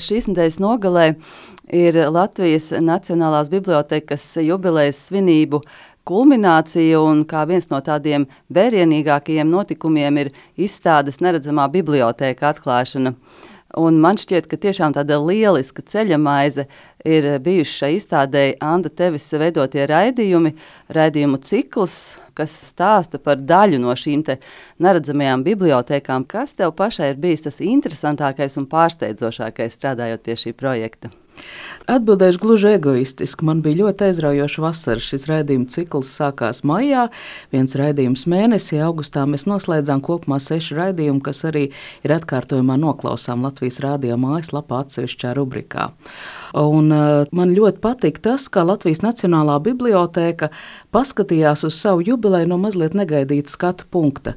Šīs nedēļas nogalē ir Latvijas Nacionālās bibliotēkas jubilejas svinību kulminācija, un kā viens no tādiem vērienīgākajiem notikumiem ir izstādes Neredzamā bibliotēka atklāšana. Un man šķiet, ka tiešām tāda lieliska ceļamaize ir bijuši šai izstādei Anda tevis veidotie raidījumu cikls, kas stāsta par daļu no šīm te neredzamajām bibliotēkām. Kas tev pašai ir bijis tas interesantākais un pārsteidzošākais strādājot pie šī projekta? Atbildēšu gluži egoistiski. Man bija ļoti aizraujoša vasara. Šis raidījuma cikls sākās maijā, viens raidījums mēnesī. Augustā mēs noslēdzām kopumā 6 raidījumu, kas arī ir atkārtojumā noklausām Latvijas Rādio mājaslapā atsevišķā rubrikā. Un man ļoti patīk tas, ka Latvijas Nacionālā bibliotēka paskatījās uz savu jubileju no mazliet negaidīta skatu punkta.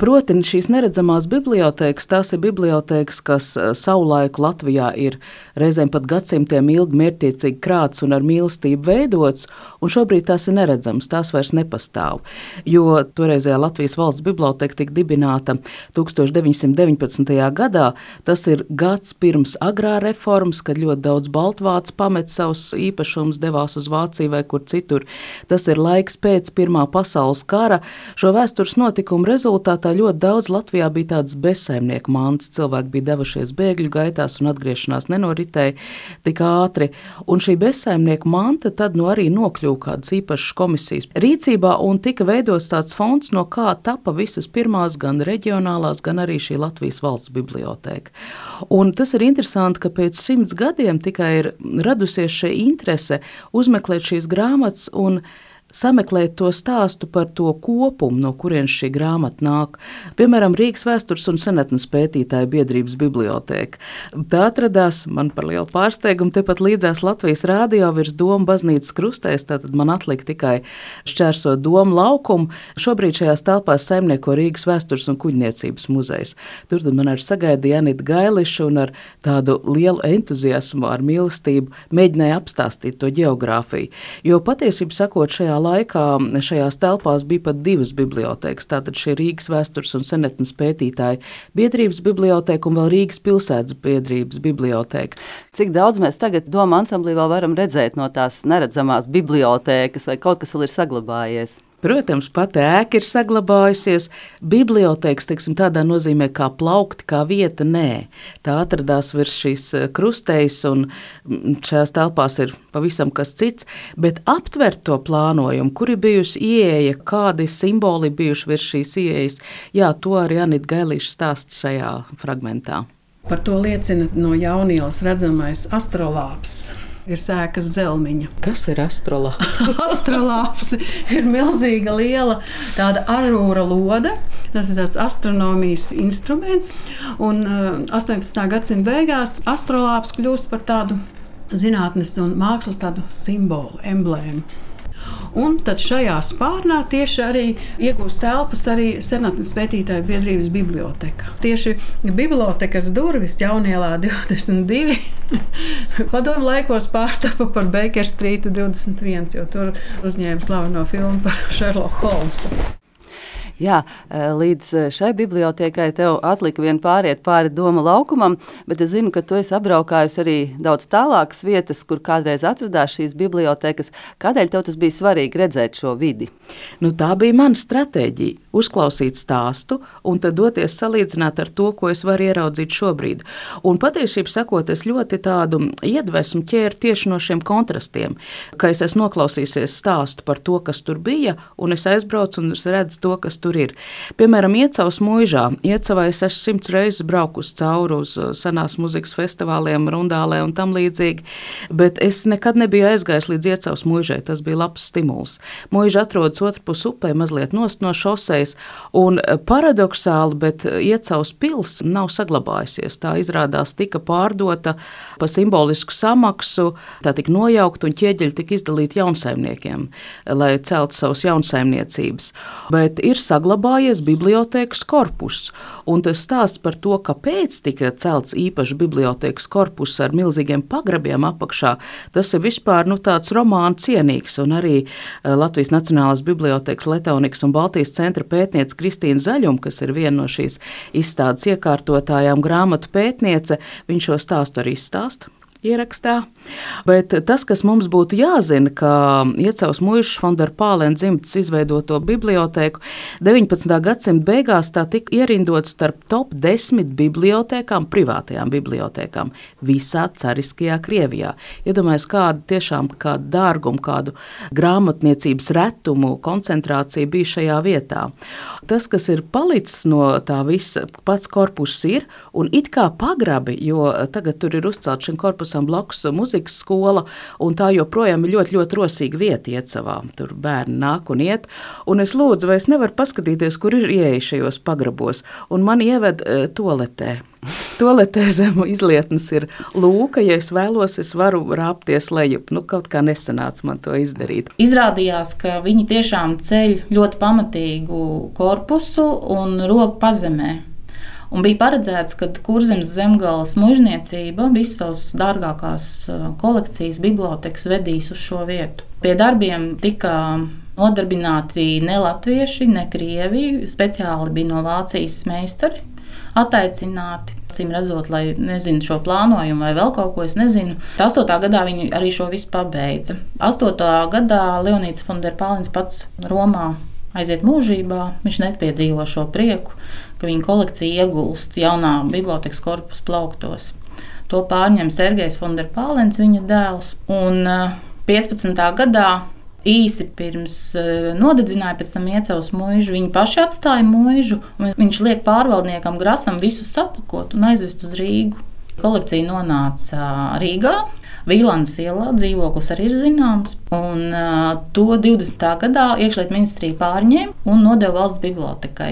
Proti, šīs neredzamās bibliotēkas, tās ir bibliotēkas, kas savulaiku Latvijā ir reizēm pat gadsimtiem ilgi mērķtiecīgi krāts un ar mīlestību veidots, un šobrīd tās ir neredzamas, tās vairs nepastāv. Jo toreizējā Latvijas valsts biblioteka tika dibināta 1919. gadā, tas ir gads pirms agrā reformas, kad ļoti daudz baltvācu pamet savus īpašumus, devās uz Vāciju vai kur citur. Tas ir laiks pēc Pirmā pasaules kara. Šo vēstures notikumu rezultātā ļoti daudz Latvijā bija tādas bezsaimnieku mantas. Cilvēki bija devušies bēgļu gaitās un atgriešanās nenoritēja tik ātri. Un šī bezsaimnieku manta tad arī nokļuva kādas īpašas komisijas rīcībā un tika veidots tāds fonds, no kā tapa visas pirmās gan reģionālās, gan arī šī Latvijas valsts bibliotēka. Un tas ir interesanti, ka pēc 100 gadiem tikai ir radusies šī interese uzmeklēt šīs grāmatas un sameklēt to stāstu par to kopumu, no kurienes šī grāmata nāk. Piemēram, Rīgas vēstures un senatnes pētītāju biedrības bibliotēka. Tā atradās, man par lielu pārsteigumu, tepat līdzās Latvijas Rādio virs Doma baznīcas krustēs, tātad man atlika tikai šķērsot Doma laukumu. Šobrīd šajās telpās saimnieko Rīgas vēstures un kuģniecības muzejs. Tur tad man arī sagaidīja Janita Gailiša un ar tādu lielu entuziasmu, ar mīlestību mēģināja apstāstīt to ģeogrāfiju. Jo patiesību sakot, šajā laikā šajās telpās bija pat 2 bibliotēkas. Tātad šī Rīgas vēstures un senatnes pētītāju biedrības bibliotēka un vēl Rīgas pilsētas biedrības bibliotēka. Cik daudz mēs tagad Doma ansamblī vēl varam redzēt no tās neredzamās bibliotēkas, vai kaut kas vēl ir saglabājies? Protams, pati ēka ir saglabājusies. Bibliotēkas, teiksim, tādā nozīmē kā plaukti, kā vieta, nē. Tā atradās virs šīs krustējas un šajās telpās ir pavisam kas cits, bet aptvert to plānojumu, kur ir bijusi ieeja, kādi simboli bijuši virs šīs ieejas, jā, to arī Janita Gailiša stāsta šajā fragmentā. Par to liecina no Jaunīlas redzamais astrolāps. Ir sēkas zelmiņa. Kas ir astrolāps? Astrolāps ir milzīga liela tāda ažūra lode. Tas ir tāds astronomijas instruments. Un 18. gadsimta beigās astrolāps kļūst par tādu zinātnes un mākslas tādu simbolu, emblēmu. Un tad šajā spārnā tieši arī iegūst telpas arī senatnes pētītāju biedrības biblioteka. Tieši bibliotekas durvis Jaunielā 22 padomu laikos pārtapa par Baker Streetu 21, jo tur uzņēma slaveno filmu par Sherlock Holmesu. Jā, līdz šai bibliotēkai tev atlika vien pāriet pāri Doma laukumam, bet es zinu, ka tu esi apbraukājusi arī daudz tālākas vietas, kur kādreiz atradās šīs bibliotēkas. Kādēļ tev tas bija svarīgi redzēt šo vidi? Tā bija mana stratēģija – uzklausīt stāstu un tad doties salīdzināt ar to, ko es varu ieraudzīt šobrīd. Un patiesību sakot, es ļoti tādu iedvesmu ķēru tieši no šiem kontrastiem, ka es esmu noklausīsies stāstu par to, kas tur bija, un es aizbraucu un es redzu to, kas tur ir. Piemēram, Iecavas muižā. Iecavā es esmu 100 reizes braukus cauri uz senās muzikas festivāliem, rundālē un tam līdzīgi, bet es nekad nebiju aizgājis līdz Iecavas muižai. Tas bija labs stimuls. Muiža atrodas otrpus upē, mazliet nost no šosejas, un paradoksāli, bet Iecavas pils nav saglabājusies. Tā izrādās tika pārdota pa simbolisku samaksu, tā tika nojaukt un ķieģeļi tika izdalīti jaunsaimniekiem, lai celtu savus jaunsaimniecības. Bet ir saglabājies bibliotēkas korpus. Un tas stāsts par to, kāpēc tika celts īpaši bibliotēkas korpus ar milzīgiem pagrabiem apakšā, tas ir vispār tāds romāna cienīgs. Un arī Latvijas Nacionālās bibliotēkas Letāunikas un Baltijas centra pētniece Kristīna Zaļuma, kas ir viena no šīs izstādes iekārtotājām, grāmatu pētniece, viņš šo stāstu arī izstāsta ierakstā. Bet tas, kas mums būtu jāzina, ka Iecavas Muižas von der Pālena dzimtas izveidoto bibliotēku 19. gadsimta beigās tā tika ierindot starp top 10 bibliotēkām, privātajām bibliotēkām visā cariskajā Krievijā. Iedomājies, kādu dārgumu, kādu grāmatniecības retumu koncentrācija bija šajā vietā. Tas, kas ir palicis no tā visa, pats korpus ir, un it kā pagrabi, jo tagad tur ir uzcelt šim korpusam blakus muzikas skola, un tā joprojām ir ļoti, ļoti rosīga vieta Iecavā. Tur bērni nāk un iet, un es lūdzu, vai es nevaru paskatīties, kur ir ieeja šajos pagrabos, un mani ieved toaletē. Toaletē zem izlietnes ir lūka, ja es vēlos, es varu rāpties lejup. Kaut kā nesanāca man to izdarīt. Izrādījās, ka viņi tiešām ceļ ļoti pamatīgu korpusu un roku pazemē. Un bija paredzēts, ka Kurzemes zemgales muižniecība visas savas dārgākās kolekcijas bibliotekas vedīs uz šo vietu. Pie darbiem tika nodarbināti ne latvieši, ne krievi, speciāli bija no Vācijas meistari attaicināti. Cim redzot, lai nezinu šo plānojumu vai vēl kaut ko, es nezinu. 8. gadā viņi arī šo visu pabeidza. 8. gadā Leonīds von der Pālens pats Romā aiziet mūžībā, viņš nepiedzīvo šo prieku, ka viņa kolekcija iegulst jaunā bibliotekas korpusa plauktos. To pārņem Sergejs von der Pālens, viņa dēls, un 15. gadā īsi pirms nodedzināja pēc tam Iecavas muižu, viņi paši atstāja muižu, un viņš liek pārvaldniekam Grasam visu sapakot un aizvest uz Rīgu. Kolekcija nonāca Rīgā. Vīlandes ielā dzīvoklis arī ir zināms, un to 20. gadā iekšlietu ministrija pārņēma un nodeva valsts bibliotekai.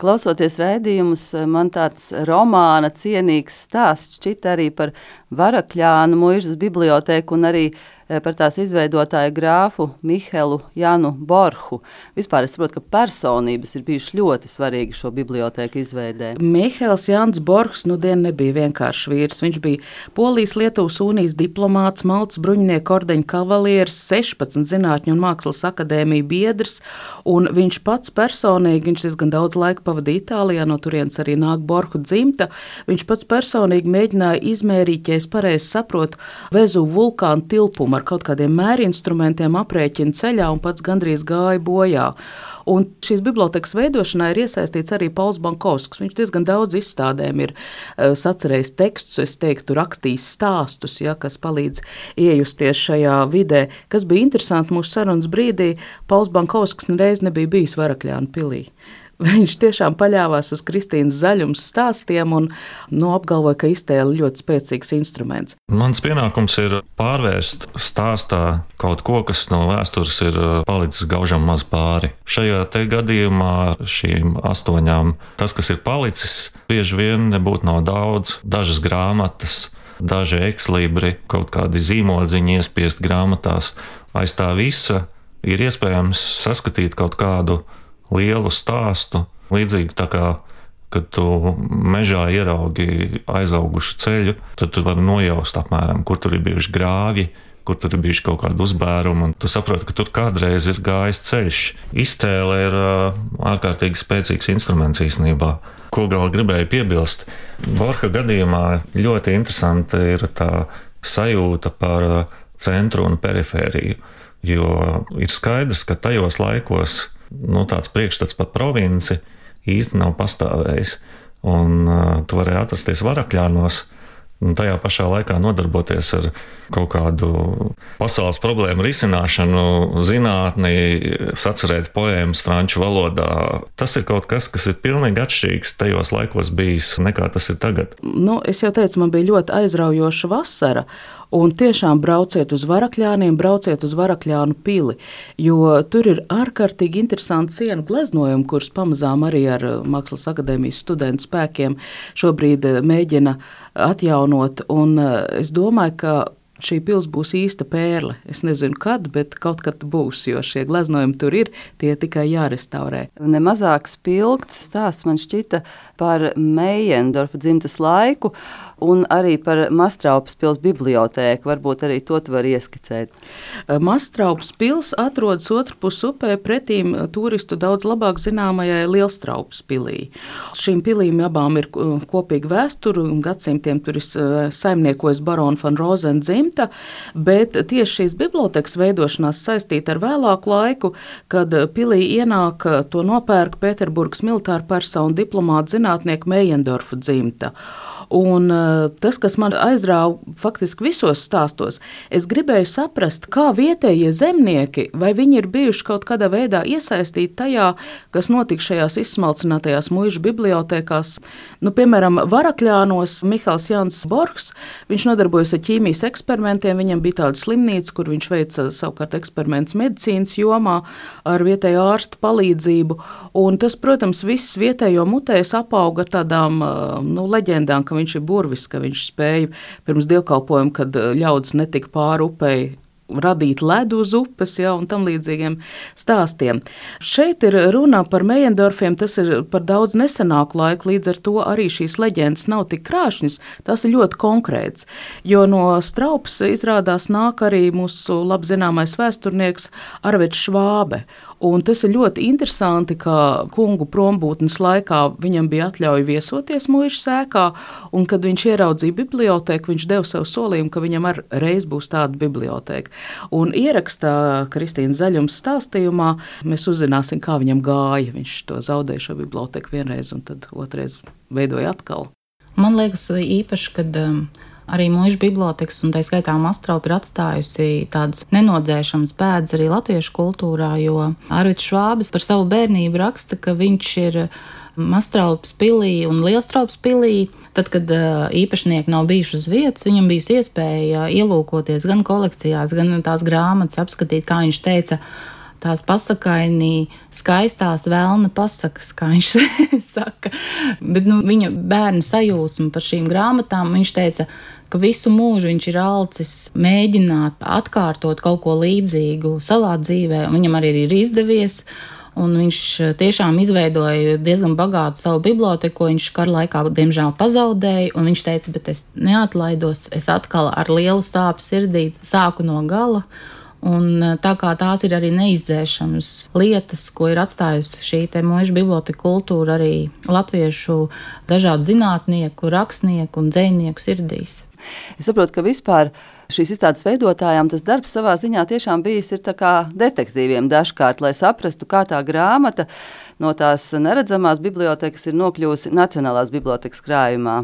Klausoties raidījumus, man tāds romāna cienīgs stāsts šķita arī par Varakļānu muižas bibliotēku un arī par tās izveidotāju grāfu Mihelu Janu Borhu. Vispār es saprotu, ka personības ir bijušas ļoti svarīgi šo bibliotēku izveidē. Mihels Jans Borhs nebija vienkāršs vīrs. Viņš bija Polijas-Lietuvas unijas diplomāts, Maltas bruņinieku ordeņa kavalieris, 16 zinātņu un mākslas akadēmiju biedrs, un viņš pats personīgi, viņš diezgan daudz laika pavadīja Itālijā, no turienes arī nāk Borhu dzimta, viņš pats personīgi mēģināja izmērīt, ja es pareizi saprotu, Vezuvu vulkānu tilpumu ar kaut kādiem mērinstrumentiem aprēķina ceļā un pats gandrīz gāja bojā. Un šīs bibliotekas veidošanā ir iesaistīts arī Pauls Bankovskis. Viņš diezgan daudz izstādēm ir sacerējis tekstus, es teiktu, rakstījis stāstus, kas palīdz iejusties šajā vidē. Kas bija interesanti mūsu sarunas brīdī, Pauls Bankovskis nereiz nebija bijis Varakļānu pilī. Viņš tiešām paļāvās uz Kristīnas Zaļumas stāstiem un apgalvoja, ka iztēle ļoti spēcīgs instruments. Mans pienākums ir pārvērst stāstā kaut ko, kas no vēstures ir palicis gaužam maz pāri. Šajā te gadījumā šīm 8, tas, kas ir palicis, bieži vien nebūtu nav daudz. Dažas grāmatas, daži ekslibri, kaut kādi zīmodziņi iespiest grāmatās. Aiz tā visa ir iespējams saskatīt kaut kādu lielu stāstu, līdzīgi tā kā, kad tu mežā ieraugi aizaugušu ceļu, tad tu vari nojaust apmēram, kur tur ir bijuši grāvji, kur tur ir bijuši kaut kādi uzbērumi, un tu saproti, ka tur kādreiz ir gājis ceļš. Iztēle ir ārkārtīgi spēcīgs instruments īstenībā. Ko vēl gribēju piebilst? Borha gadījumā ļoti interesanta ir tā sajūta par centru un perifēriju, jo ir skaidrs, ka tajos laikos tāds priekšstats par provinci īsti nav pastāvējis. Un tu varēji atrasties Varakļānos un tajā pašā laikā nodarboties ar kaut kādu pasaules problēmu risināšanu, zinātni, sacerēt poēmas franču valodā. Tas ir kaut kas, kas ir pilnīgi atšķirīgs tajos laikos bijis, nekā tas ir tagad. Es jau teicu, man bija ļoti aizraujoša vasara. Un tiešām brauciet uz Varakļāniem, brauciet uz Varakļānu pili, jo tur ir ārkārtīgi interesanti sienu gleznojumi, kurus pamazām arī ar Mākslas akadēmijas studentu spēkiem šobrīd mēģina atjaunot. Un es domāju, ka šī pils būs īsta pērle. Es nezinu, kad, bet kaut kad būs, jo šie gleznojumi tur ir, tie tikai jārestaurē. Nemazāk spilgts stāsts man šķita par Meiendorfa dzimtes laiku un arī par Mastraupas pils bibliotēku. Varbūt arī to tu vari ieskicēt. Mastraupas pils atrodas otrpus upē pretīm turistu daudz labāk zināmajai Lielstraupas pilī. Šīm pilīm abām ir kopīga vēsture, un gadsimtiem tur ir saimniekojis barona van Rozen dzimta, bet tieši šīs bibliotekas veidošanās saistīta ar vēlāku laiku, kad pilī ienāk to nopērk Pēterburgas militāra persona diplomāta zinātnieka Meiendorfa dzimta. Un tas, kas man aizrāva faktiski visos stāstos, es gribēju saprast, kā vietējie zemnieki, vai viņi ir bijuši kaut kādā veidā iesaistīti tajā, kas notika šajās izsmalcinātajās muižu bibliotēkās. Piemēram, Varakļānos Mihāls Jānis Borgs, viņš nodarbojas ar ķīmijas eksperimentiem, viņam bija tāda slimnīca, kur viņš veica savukārt eksperimentus medicīnas jomā ar vietējo ārstu palīdzību. Un tas, protams, viss vietējo mutēs apauga ar tādām leģendām, ka viņš ir burvis, ka viņš spēja pirms dievkalpojuma, kad ļaudis netika pāri upei, radīt ledu uz upes, un tam līdzīgiem stāstiem. Šeit ir runa par Meiendorfiem, tas ir par daudz nesenāku laiku, līdz ar to arī šīs leģendas nav tik krāšņas, tas ir ļoti konkrēts, jo no Straupas izrādās nāk arī mūsu labzināmais vēsturnieks Arveds Švābe. Un tas ir ļoti interesanti, ka kungu prombūtnes laikā viņam bija atļauja viesoties muižas sēkā, un kad viņš ieraudzīja bibliotēku, viņš deva sev solījumu, ka viņam reiz būs tāda bibliotēka. Un ierakstā Kristīnas Zaļums stāstījumā mēs uzzināsim, kā viņam gāja. Viņš to zaudēja šo bibliotēku vienreiz, un tad otrais veidoja atkal. Man liekas īpaši, kad arī muižu bibliotekas, un tā skaitā Mastraupa ir atstājusi tādas nenodzēšamas pēdas arī latviešu kultūrā, jo Arvids Švābis par savu bērnību raksta, ka viņš ir Mastraupas pilī un Lielstraupas pilī. Tad, kad īpašnieki nav bijuši uz vietas, viņam bijusi iespēja ielūkoties gan kolekcijās, gan tās grāmatas apskatīt, kā viņš teica, tās pasakainī skaistās vēlna pasakas, kā viņš saka. Bet viņa bērna sajūsma par šīm grāmatām, viņš teica, ka visu mūžu viņš ir alcis mēģināt atkārtot kaut ko līdzīgu savā dzīvē, un viņam arī ir izdevies. Un viņš tiešām izveidoja diezgan bagātu savu biblioteku, ko viņš kara laikā, diemžēl, pazaudēja. Un viņš teica, bet es neatlaidos, es atkal ar lielu sāpju sirdī sāku no gala. Un tā kā tās ir arī neizdzēšamas lietas, ko ir atstājusi šī muižu biblioteka kultūra arī latviešu dažādu zinātnieku, rakstnieku un dzejnieku sirdīs. Es saprotu, ka vispār šīs izstādes veidotājām tas darbs savā ziņā tiešām bijis ir tā kā detektīviem dažkārt, lai saprastu, kā tā grāmata no tās neredzamās bibliotekas ir nokļuvusi Nacionālās bibliotekas krājumā.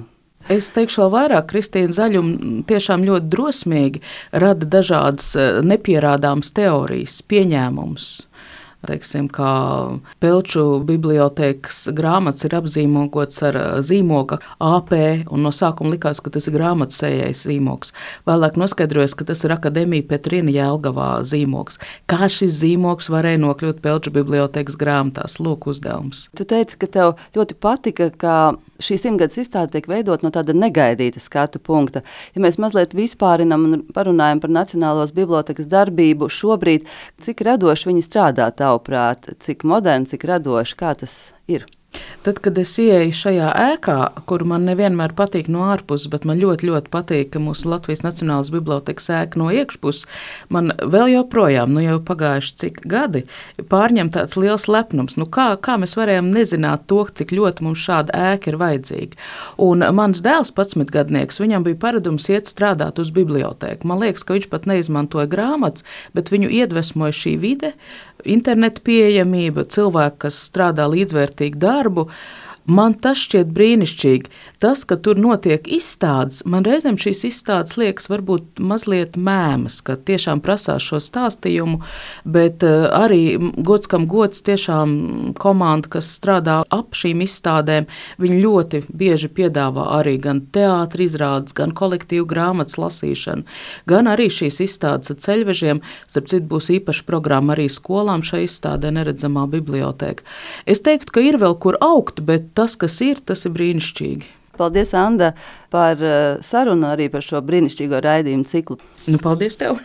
Es teikšu vēl vairāk, Kristīna Zaļuma tiešām ļoti drosmīgi rada dažādas nepierādāmas teorijas, pieņēmumus. Teiksim, kā Pelču bibliotēkas grāmatas ir apzīmogots ar zīmoga AP, un no sākuma likās, ka tas ir grāmatsējais zīmogs. Vēlāk noskaidrojas, ka tas ir Akademija Petrina Jelgavā zīmogs. Kā šis zīmogs varēja nokļūt Pelču bibliotēkas grāmatās? Lūk, uzdevums. Tu teici, ka tev ļoti patika, ka šī 100-gadus izstāde tiek veidot no tāda negaidīta skatu punkta. Ja mēs mazliet vispārinam un parunājam par Nacionālās bibliotekas darbību šobrīd, cik radoši viņi strādā tavuprāt, cik moderni, cik radoši, kā tas ir? Tad, kad es ieeju šajā ēkā, kur man nevienmēr patīk no ārpuses, bet man ļoti, ļoti patīk, ka mūsu Latvijas Nacionālās bibliotekas ēka no iekšpuses, man vēl joprojām, jau pagājuši cik gadi, pārņem tāds liels lepnums. Kā mēs varējām nezināt to, cik ļoti mums šāda ēka ir vajadzīga? Un mans dēls, 11-gadnieks, viņam bija paradums iet strādāt uz bibliotēku. Man liekas, ka viņš pat neizmantoja grāmatas, bet viņu iedvesmoja šī vide, interneta pieejamība, cilvēki, kas strādā līdzvērtīgu darbu. Man tas šķiet brīnišķīgi. Tas, ka tur notiek izstādes, man reizēm šīs izstādes liekas varbūt mazliet mēmas, ka tiešām prasās šo stāstījumu, bet arī gods kam gods tiešām komanda, kas strādā ap šīm izstādēm, viņi ļoti bieži piedāvā arī gan teātra izrādes, gan kolektīvu grāmatas lasīšanu, gan arī šīs izstādes ar ceļvežiem. Starp citu, būs īpaša programma arī skolām šai izstādē Neredzamā bibliotēka. Es teiktu, ka ir vēl kur augt, bet tas, kas ir brīnišķīgi. Paldies, Anda, par sarunu arī par šo brīnišķīgo raidījumu ciklu. Nu, paldies tev!